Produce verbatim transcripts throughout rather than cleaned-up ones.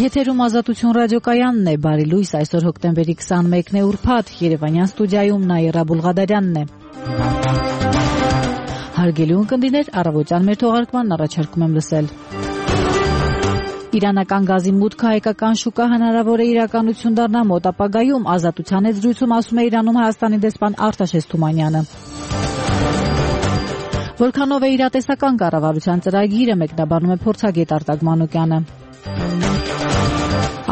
Եթերում Ազատություն ռադիոկայանն է, բարի լույս, այսօր հոկտեմբերի քսանմեկն է, ուրբաթ, Երևանյան ստուդիայում Նաիրա Բուլղադարյանն է։ Հարգելի ունկնդիրներ, առավոտյան մեր թողարկմանն առաջարկում եմ լսել։ Իրանական գազի մուտքը հայկական շուկա հնարավոր է իրականություն դառնա մոտ ապագայում, Ազատության հետ զրույցում ասում է Իրանում Հայաստանի դեսպան Արտաշես Թումանյանը։ Որքանով է իրատեսական կառավարության ծրագիրը, մեկնաբանում է փորձագետ Արտակ Մանուկյանը։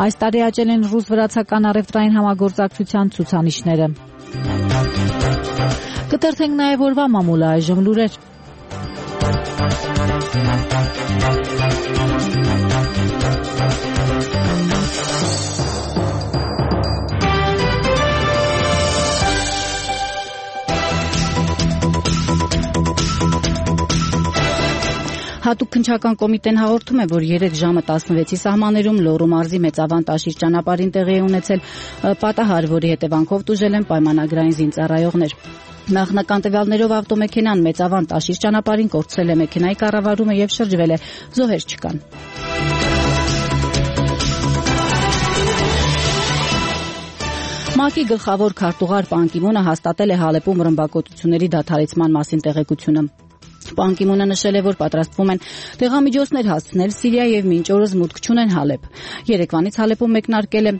Այս տարի աճել են ռուս-վրացական առևտրային համագործակցության ցուցանիշները։ Կտրթենք նաև օրվա մամուլը, այժմ լուրեր։ Հատուկ քննչական կոմիտեն հաղորդում է, որ երեկ ժամը տասնվեցի սահմաններում Լոռու մարզի Մեծավան Տաշիր ճանապարհին տեղի է ունեցել պատահար, որի հետևանքով տուժել են պայմանագրային զինծառայողներ։ Նախնական տվյալներով ավտոմեքենան Մեծավան Տաշիր ճանապարհին կորցրել է մեքենայի կառավարումը եւ շրջվել է, զոհեր չկան։ ՄԱԿ-ի գլխավոր քարտուղար Պան Կի Մունը հաստատել է Հալեպում ռմբակոծությունների դադարեցման մասին տեղեկությունը։ Պան Կի Մունը նշել է, որ պատրաստվում են տեղամիջոցներ հասցնել Սիրիա եւ մինչ օրս մուտք չունեն Հալեբ։ Երեկվանից Հալեպում մեկնարկել է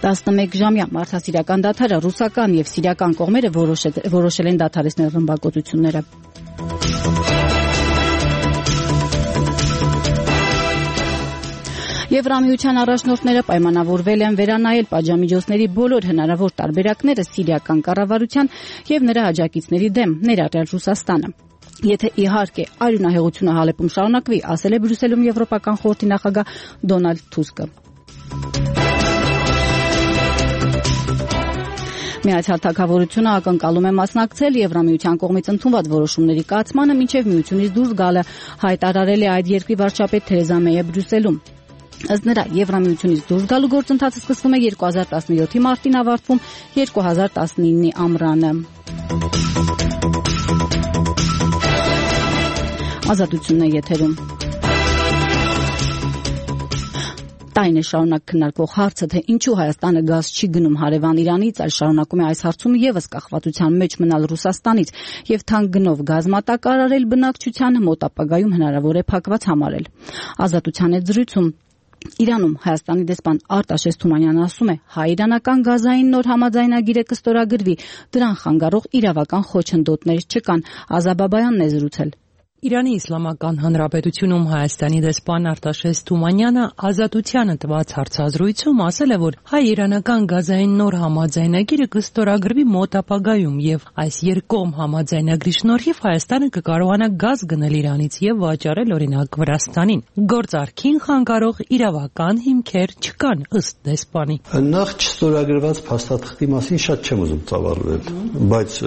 տասնմեկ ժամյա մարդասիրական դադարը, ռուսական եւ սիրիական կողմերը որոշել են դադարեցնել ռմբակոծությունները։ Եվրամիության առաջնորդները պայմանավորվել են վերանայել պատժամիջոցների բոլոր հնարավոր տարբերակները սիրիական կառավարության եւ նրա աջակիցների դեմ, ներառյալ Ռուսաստանը։ Եթե իհարկե արյունահեղությունը Հալեպում շարունակվի, ասել է Բրյուսելում Եվրոպական խորհրդի նախագահ Դոնալդ Թուսկը։ Միացյալ Թագավորությունը ակնկալում է մասնակցել Եվրամիության կողմից ընդունված որոշումների կայացմանը, մինչև միությունից դուրս գալը, հայտարարել է այդ երկրի վարչապետ Թերեզա Մեյը Բրյուսելում։ Ըստ նրա, Եվրամիությունից դուրս գալու գործընթացը սկսվում է երկու հազար տասնյոթի մարտին, ավարտվում երկու հազար տասնինի ամռանը։ Ազատությունն է եթերում։ Տարին է շարունակ քննարկվող հարցը, թե ինչու Հայաստանը գազ չի գնում հարևան Իրանից, այլ շարունակում է այս հարցում եւս կախվածության մեջ մնալ Ռուսաստանից եւ թանկ գնով գազ մատակարարել բնակչությանը, մոտ ապագայում հնարավոր է փակված համարել։ Ազատության հետ զրույցում Իրանում Հայաստանի դեսպան Արտաշես Թումանյանը ասում է, հայ-իրանական գազային նոր համաձայնագիրը կստորագրվի, դրան խանգարող իրավական խոչընդոտներ չկան։ Ազաբաբայանն է զրուցել։ Իրանի Իսլամական Հանրապետությունում Հայաստանի դեսպան Արտաշես Թումանյանը Ազատությանը տված հարցազրույցում ասել է, որ հայ-իրանական գազային նոր համաձայնագիրը կստորագրվի մոտ ապագայում եւ այս երկկողմ համաձայնագրի շնորհիվ Հայաստանը կկարողանա գազ գնել Իրանից եւ վաճառել օրինակ Վրաստանին։ Գործարքին խանգարող իրավական հիմքեր չկան, ըստ դեսպանի։ Նախ չստորագրված փաստաթղթի մասին շատ չեմ ուզում ծավալվել, բայց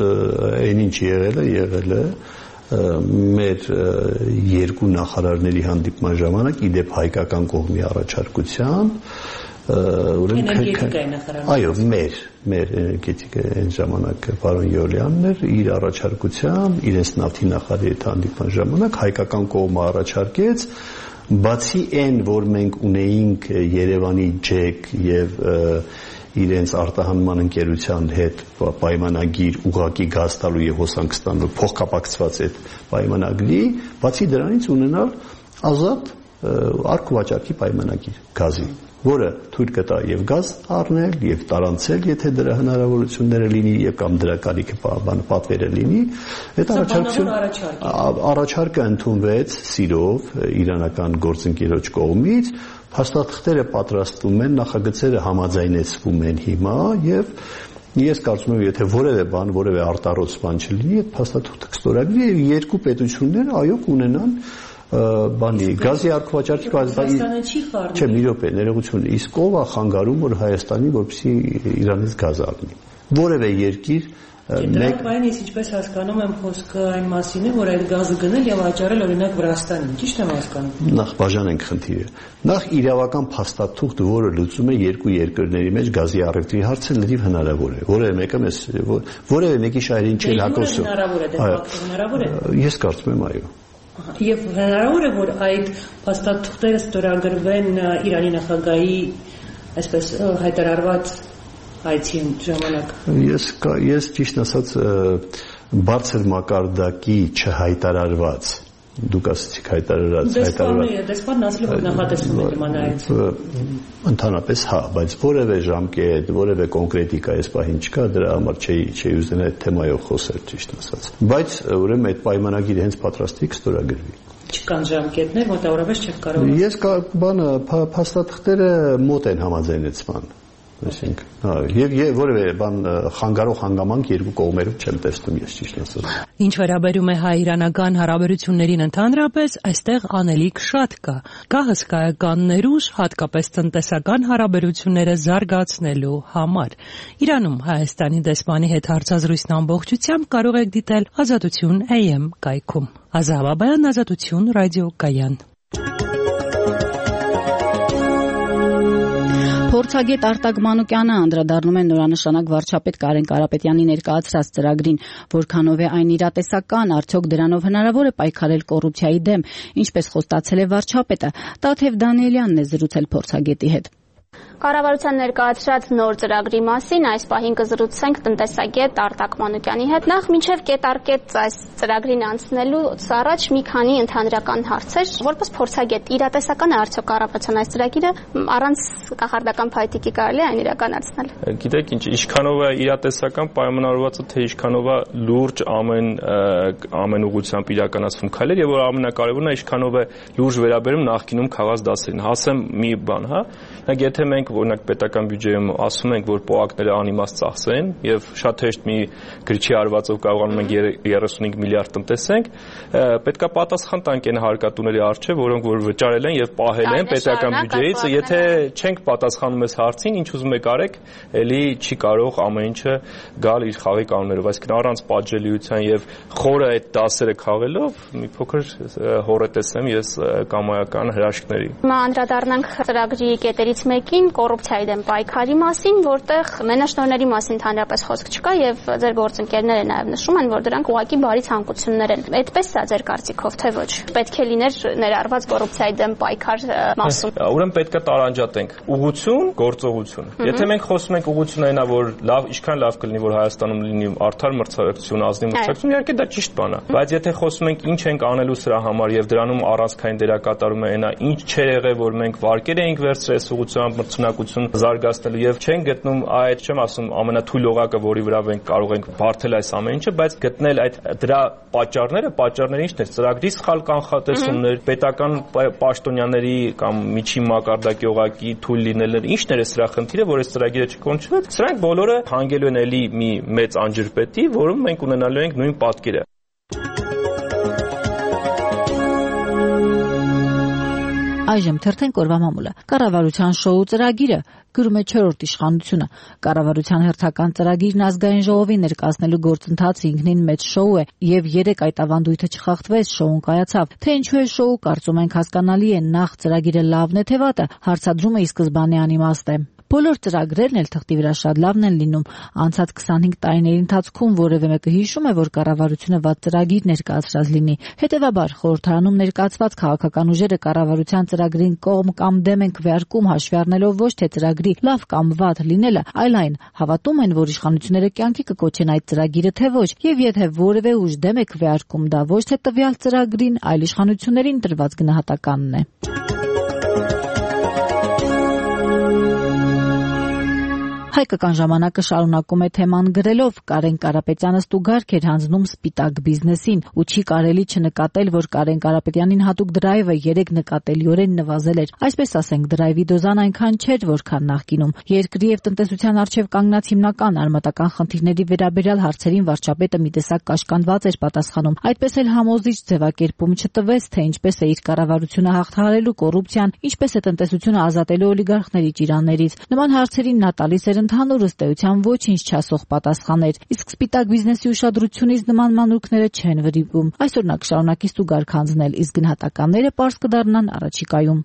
այն ինչ եղել է, եղել է մեր երկու նախարարների հանդիպման ժամանակ իդեպ հայկական կողմի առաջարկությամբ էներգետիկայի նախարարը այո մեր մեր էներգետիկայի այն ժամանակ պարոն Յոլյանն էր իր առաջարկությամբ իրենց նավթի նախարարի հետ հանդիպման ժամանակ հայկական կողմը առաջարկեց բացի այն որ մենք ունեինք Երևանի ջեք եւ իրենց արտահանման ընկերության հետ պայմանագիր ուղղակի գազ տալու եւ հոսանք ստանալու փոխկապակցված այդ պայմանագրի, բացի դրանից ունենալ ազատ արկուվաճառքի պայմանագիր գազի, որը թույլ կտա եւ գազ առնել եւ տարանցել, եթե դրա հնարավորությունները լինի եւ կամ դրա կարիքը պատվերը լինի, այդ առաջարկությունը առաջարկը ընդունվեց սիրով իրանական գործընկերոջ կողմից, փաստաթղթերը պատրաստվում են, նախագծերը համաձայնեցվում են հիմա եւ ես կարծում եմ, եթե որևէ բան, որևէ արտառոց բան չլինի, այդ փաստաթուղթը կստորագրվի եւ երկու պետությունները այո կունենան բանի գազի արկուվաճառքի Հայաստանը չի խառնում։ Չէ, մի րոպե, ներողություն, իսկ ով է խանգարում որ Հայաստանի որպեսզի Իրանից գազ առնի։ Որևէ երկիր Դրանք այն ես ինչպես հասկանում եմ խոսքը այն մասին է, որ այդ գազը գնել եւ վաճառել օրինակ Վրաստանին, ճիշտ եմ հասկանում։ Նախ բաժանենք խնդիրը։ Նախ իրավական փաստաթուղթ, որը լուծում է երկու երկրների մեջ գազի առևտրի հարցը, լրիվ հնարավոր է։ Որևէ մեկը մեզ որևէ մեկի շահերին չի հակոսում։ Հնարավոր է, դե ֆակտը հնարավոր է։ Ես կարծում եմ այո։ Եվ հնարավոր է, որ այդ փաստաթղթերը ստորագրվեն Իրանի նախագահի այսպես հայտարարված այցի ժամանակ։ Ես ես ճիշտ ասած բարձր մակարդակի չհայտարարված դուք ասացիք հայտարարած հայտարարված դեսպանն ասել որ նախատեսվում է նման այց ընդհանրապես հա բայց որևէ ժամկետ որևէ կոնկրետիկա այս պահին չկա դրա համար չի չի ուզեն այդ թեմայով խոսել ճիշտ ասած բայց ուրեմն այդ պայմանագիրը հենց պատրաստի կստորագրվի չկան ժամկետներ մոտավորապես չեք կարող ես բանը փաստաթղթերը մոտ են համաձայնեցման այսինքն հա եւ որևէ բան խանգարող հանգամանք երկու կողմերով չեմ տեսնում ես ճիշտ ասած Ինչ վերաբերում է հայ-իրանական հարաբերություններին ընդհանրապես այստեղ անելիք շատ կա կա հսկայական ներուժ հատկապես տնտեսական հարաբերությունները զարգացնելու համար Իրանում Հայաստանի դեսպանի հետ հարցազրույցն ամբողջությամբ կարող եք դիտել Ազատություն A M կայքում Ազատ Բաբայան Ազատություն ռադիոկայան Փորձագետ Արտակ Մանուկյանը անդրադառնում է նորանշանակ վարչապետ Կարեն Կարապետյանի ներկայացրած ծրագրին, որքանով է այն իրատեսական, արդյոք դրանով հնարավոր է պայքարել կոռուպցիայի դեմ, ինչպես խոստացել է վարչապետը, Տաթև Դանիելյանն է զրուցել փորձագետի հետ։ Կառավարության ներկայացրած նոր ծրագրի մասին այս պահին կզրուցենք տնտեսագետ Արտակ Մանուկյանի հետ։ Նախ մինչև կետարկեց այս ծրագրին անցնելուց առաջ մի քանի ընդհանրական հարցեր, որպես փորձագետ իրատեսական է արդյոք կառավարության այս ծրագիրը առանց կախարդական փայտիկի կարելի է այն իրականացնել։ Գիտեք ինչ, ինչքանով է իրատեսական պայմանավորվածը, թե ինչքանով է լուրջ ամեն ամեն ուղղությամբ իրականացվում քայլեր եւ որ ամենակարևորն է ինչքանով է լուրջ վերաբերում նախկինում քաղաք դասերին։ Հասեմ մի բան, հա։ Եթե մենք օրինակ պետական բյուջեում ասում ենք, որ պոակները անիմաստ ծախսեն եւ շատ հեշտ մի գրչի արվածով կարողանում ենք երեսունհինգ միլիարդ տնտեսենք, պետքա պատասխան տանք այն հարկատուների առջև, որոնք որ վճարել են եւ պահել են պետական բյուջեից, եթե չենք պատասխանում այս հարցին, ինչ ուզում եք արեք, ելի չի կարող ամեն ինչը գալ իր խաղի կանոններով, այսինքն առանց պատժելիության եւ խորը այդ դասերը խաղելով մի փոքր հորետես եմ ես կամայական հրաշքների։ Հիմա անդրադառնանք ծրագրի կետերից մեկին կոռուպցիայի դեմ պայքարի մասին, որտեղ մենաշնորհների մասին ընդհանրապես խոսք չկա եւ ձեր գործընկերները նաեւ նշում են, որ դրանք ուղղակի բարի ցանկություններ են։ Այդպես է ձեր կարծիքով, թե ոչ։ Պետք է լիներ ներառված կոռուպցիայի դեմ պայքար մասում։ Ուրեմն պետք է տարանջատենք ուղղություն, գործողություն։ Եթե մենք խոսում ենք ուղղությունը այնա, որ լավ, ինչքան լավ կլինի, որ Հայաստանում լինի արդար մրցակցություն, ազնիվ մրցակցություն, իհարկե դա ճիշտ բան է։ Բայց եթե խոսում ենք ինչ ենք անելու սրա համար եւ դրանում առանցքային դերակատարում է այնա, ինչ չէր եղել, որ մենք վարկեր էինք վերցրել ուղղությամբ մրցունակություն զարգացնելու եւ չեն գտնում այդ, չեմ ասում, ամենաթույլ օղակը, որի վրա մենք կարող ենք բարթել այս ամեն ինչը, բայց գտնել այդ դրա պատճառները, պատճառները ինչն է, ծրագրի սխալ կանխատեսումներ, պետական պաշտոնյաների կամ միջին մակարդակի օղակի թույլ լինելը, ինչն է սրա խնդիրը, որ այս ծրագիրը չկոնչվեց, սրանք բոլորը հանգելու են էլի մի մեծ անջրպետի, որում մենք ունենալու ենք նույն պատկերը։ Այժմ թերթենք օրվա մամուլը։ Կառավարության շոու ծրագիրը գրում է չորրորդ իշխանությունը։ Կառավարության հերթական ծրագիրն ազգային ժողովին ներկայացնելու գործընթացը ինքնին մեծ շոու է, եւ երեք այդ ավանդույթը չխախտվեց, շոուն կայացավ։ Թե ինչու է շոու, կարծում ենք հասկանալի է, նախ ծրագիրը լավն է թե վատը, հարցադրումը ի սկզբանե անիմաստ է։ Բոլոր ծրագրերն էլ թղթի վրա շատ լավն են լինում։ Անցած քսանհինգ տարիների ընթացքում որևէ մեկը հիշում է, որ կառավարությունը վատ ծրագիր ներկայացրած լինի։ Հետևաբար խորհրդարանում ներկայացված քաղաքական ուժերը կառավարության ծրագրին կողմ կամ դեմ են քվեարկում, հաշվի առնելով ոչ թե ծրագրի լավ կամ վատ լինելը, այլ այն, հավատում են, որ իշխանությունները կյանքի կկոչեն այդ ծրագիրը թե ոչ, եւ եթե որևէ ուժ դեմ է քվեարկում, դա ոչ թե տվյալ ծրագրին, այլ իշխանություններին տրված գնահատականն է։ Հայկական ժամանակը շարունակում է թեման գրելով Կարեն Կարապետյանը ստուգարք էր հանձնում սպիտակ բիզնեսին ու չի կարելի չնկատել, որ Կարեն Կարապետյանին հատուկ դրայվը երեք նկատելիորեն նվազել էր։ Այսպես ասենք, դրայվի դոզան այնքան չէր, որքան նախկինում։ Երկրի եւ տնտեսության առջև կանգնած հիմնական արմատական խնդիրների վերաբերյալ հարցերին վարչապետը մի տեսակ կաշկանդված էր պատասխանում։ Այդպես էլ համոզիչ ձևակերպում չտվեց, թե ինչպես է իր կառավարությունը հաղթահարելու կոռուպցիան, ինչպես է տնտեսությունը ազատելու օլիգարխների ճիրաններից։ Նման հարցերին նա տալիս էր ընդհանուր ըստ էության ոչինչ չասող պատասխաներ, իսկ սպիտակ բիզնեսի ուշադրությունից նման մանրուքները չեն վրիպում։ Այսօր նա կշարունակի ստուգարք հանձնել, իսկ գնահատականները պարզ կդառնան առաջիկայում։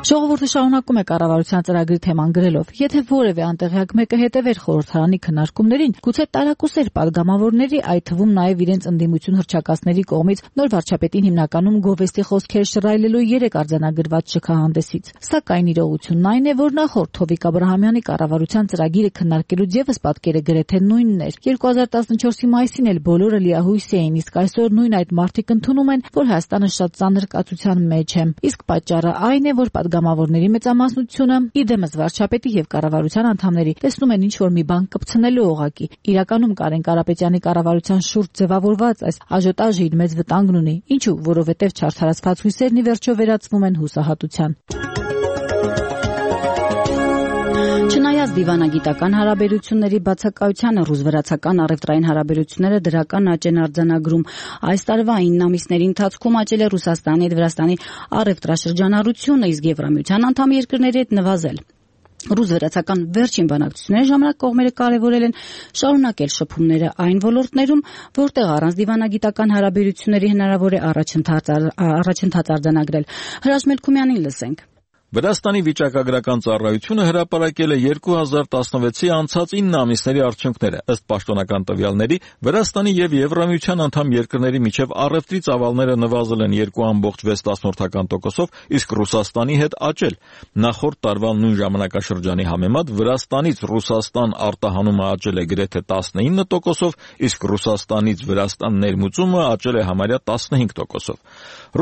Ժողովուրդ Հաղորդը շարունակում է կառավարության ծրագրի թեման գրելով. եթե որևէ անտեղյակ մեկը հետևեր խորհրդարանի քննարկումներին, գուցե տարակուսեր падգամավորների, այդ թվում նաև իրենց ընդդիմություն հռչակածների կողմից նոր վարչապետին հիմնականում գովեստի խոսքեր շռայլելու երեք արձանագրված շքահանդեսից։ Սակայն իրողությունն այն է, որ նախորդ Հովիկ Աբրահամյանի կառավարության ծրագիրը քննարկելուց ևս պատկերը գրեթե նույնն էր։ երկու հազար տասնչորսի մայիսին էլ բոլորը լիահույս էին, իսկ այսօր նույն այդ մարդիկ ընդունում են, որ Հայաստանը շատ ծանր կացության մեջ է։ Իսկ պատճառը այն է, որ падգամավորների մեծամասնությունը, իդեմս վարչապետի եւ կառավարության անդամների, տեսնում են ինչ-որ մի բան կպցնելու օղակի։ Իրականում Կարեն Կարապետյանի կառավարության շուրջ ձևավորված այս աժոտաժը իր մեծ վտանգն ունի, ինչու, որովհետեւ չարդարացված հույսերն ի վերջո վերածվում են հուսահատության։ Չնայած դիվանագիտական հարաբերությունների բացակայությանը ռուս-վրացական առևտրային հարաբերությունները դրական աճ են արձանագրում։ Այս տարվա ինը ամիսների ընթացքում աճել է Ռուսաստանի հետ Վրաստանի առևտրաշրջանառությունը, իսկ Եվրամիության անդամ երկրների հետ նվազել։ Ռուս-վրացական վերջին բանակցությունների ժամանակ կողմերը կարևորել են շարունակել շփումները այն ոլորտներում, որտեղ առանց դիվանագիտական հարաբերությունների հնարավոր է առաջընթաց արձանագրել։ Հրաչ Մելքումյանին լսենք։ Վրաստանի վիճակագրական ծառայությունը հրապարակել է երկու հազար տասնվեցի անցած ինը ամիսների արդյունքները։ Ըստ պաշտոնական տվյալների, Վրաստանի եւ Եվրամիության անդամ երկրների միջև առևտրի ծավալները նվազել են երկու կόμma վեց տոկոսով, իսկ Ռուսաստանի հետ աճել։ Նախորդ տարվա նույն ժամանակաշրջանի համեմատ Վրաստանից Ռուսաստան արտահանումը աճել է գրեթե տասնինը տոկոսով, իսկ Ռուսաստանից Վրաստան ներմուծումը աճել է համարյա տասնհինգ տոկոսով։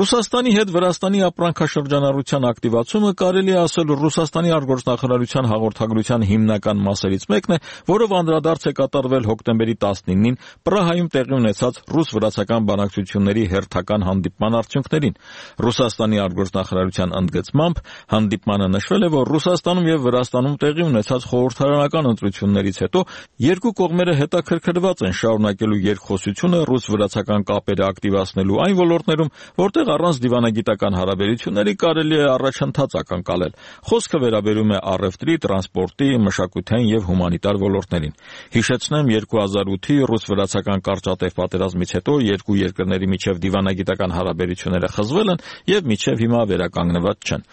Ռուսաստանի հետ Վրաստանի ապրանքաշրջանառության ակտիվացումը կարելի է ասել Ռուսաստանի արտգործնախարարության հաղորդագրության հիմնական մասերից մեկն է, որով անդրադարձ է կատարվել հոկտեմբերի տասնինին Պրահայում տեղի ունեցած ռուս-վրացական բանակցությունների հերթական հանդիպման արդյունքներին։ Ռուսաստանի արտգործնախարարության ընդգծմամբ հանդիպմանը նշվել է, որ Ռուսաստանում եւ Վրաստանում տեղի ունեցած խորհրդարանական ընտրություններից հետո երկու կողմերը հետաքրքրված են շարունակելու երկխոսությունը ռուս-վրացական կապերը ակտիվացնելու այն ոլորտներում, որտեղ առանց դիվանագիտական հարաբերությունների կարելի է առաջընթաց ակնկալել։ Խոսքը վերաբերում է առևտրի, տրանսպորտի, մշակութային եւ հումանիտար ոլորտներին։ Հիշեցնեմ, երկու հազար ութի ռուս-վրացական կարճատև պատերազմից հետո երկու երկրների միջև դիվանագիտական հարաբերությունները խզվել են եւ մինչեւ հիմա վերականգնված չեն։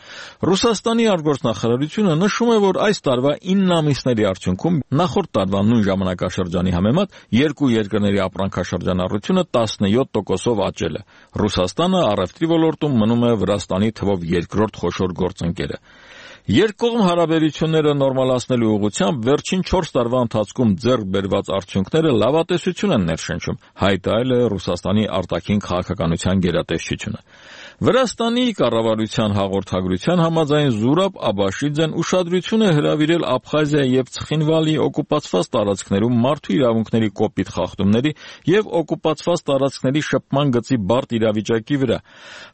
Ռուսաստանի արտգործնախարարությունը նշում է, որ այս տարվա ինը ամիսների արդյունքում նախորդ տարվա նույն ժամանակաշրջանի համեմատ երկու երկրների ապրանքաշրջանառությունը տասնյոթ տոկոսով աճել է։ Ռուսաստանը առևտրի ոլորտում մնում է Վրաստանի թվով երկրորդ խոշոր գործընկերը։ Երկկողմ հարաբերությունները նորմալացնելու ուղղությամբ վերջին չորս տարվա ընթացքում ձեռք բերված արդյունքները լավատեսություն են ներշնչում, հայտարարել է Ռուսաստանի արտաքին քաղաքականության գերատեսչությունը։ Վրաստանի կառավարության հաղորդագրության համաձայն Զուրաբ Աբաշիձեն ուշադրություն է հրավիրել Աբխազիայի եւ Ցխինվալի օկուպացված տարածքներում մարդու իրավունքների կոպիտ խախտումների եւ օկուպացված տարածքների շփման գծի բարդ իրավիճակի վրա։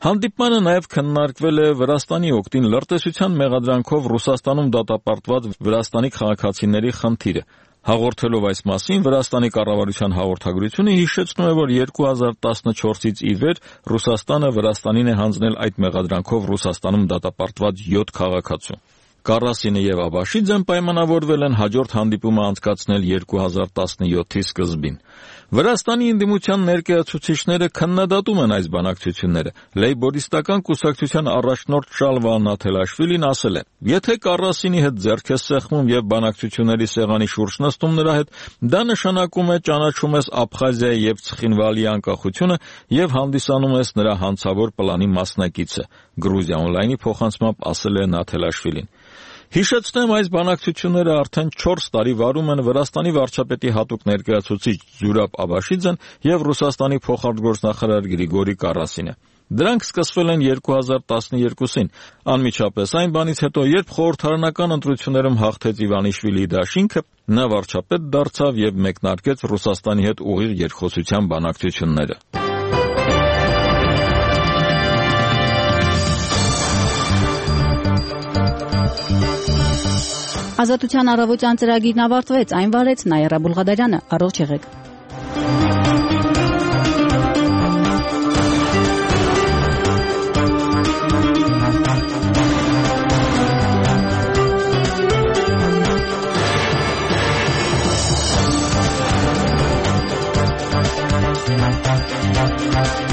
Հանդիպմանը նաեւ քննարկվել է Վրաստանի օգտին լրտեսության մեղադրանքով Ռուսաստանում դատապարտված վրաստանի քաղաքացիների խնդիրը։ Հաղորդելով այս մասին, Վրաստանի կառավարության հաղորդագրությունը հիշեցնում է, որ երկու հազար տասնչորսից ի վեր Ռուսաստանը Վրաստանին է հանձնել այդ մեղադրանքով Ռուսաստանում դատապարտված յոթ քաղաքացու։ Կարասինը եւ Աբաշիձեն պայմանավորվել են հաջորդ հանդիպումը անցկացնել երկու հազար տասնյոթի սկզբին։ Վրաստանի ընդդիմության ներկայացուցիչները քննադատում են այս բանակցությունները։ Լեյբորիստական կուսակցության առաջնորդ Շալվա Նաթելաշվիլին ասել է. «Եթե Կարասինի հետ ձեռք ես սեղմում եւ բանակցությունների սեղանի շուրջ նստում նրա հետ, դա նշանակում է ճանաչում ես Աբխազիայի եւ Ցխինվալի անկախությունը եւ հանդիսանում ես նրա հանցավոր պլանի մասնակիցը», Գրուզիա օնլայնի փոխանցմամբ ասել է Նաթելաշվիլին։ Հիշեցնեմ, այս բանակցությունները արդեն չորս տարի վարում են Վրաստանի վարչապետի հատուկ ներկայացուցիչ Զուրաբ Աբաշիձեն եւ Ռուսաստանի փոխարտգործնախարար Գրիգորի Կարասինը։ Դրանք սկսվել են երկու հազար տասնյոթին, անմիջապես այն բանից հետո, երբ խորհրդարանական ընտրություններում հաղթեց Իվանիշվիլիի դաշինքը, նա վարչապետ դարձավ եւ մեկնարկեց Ռուսաստանի հետ ուղիղ երկխոսության բանակցությունները։ Ազատության առավոտյան ծրագիրն ավարտվեց, այն վարեց Նաիրա Բուլղադարյանը, առողջ եղեք։ We'll be right back.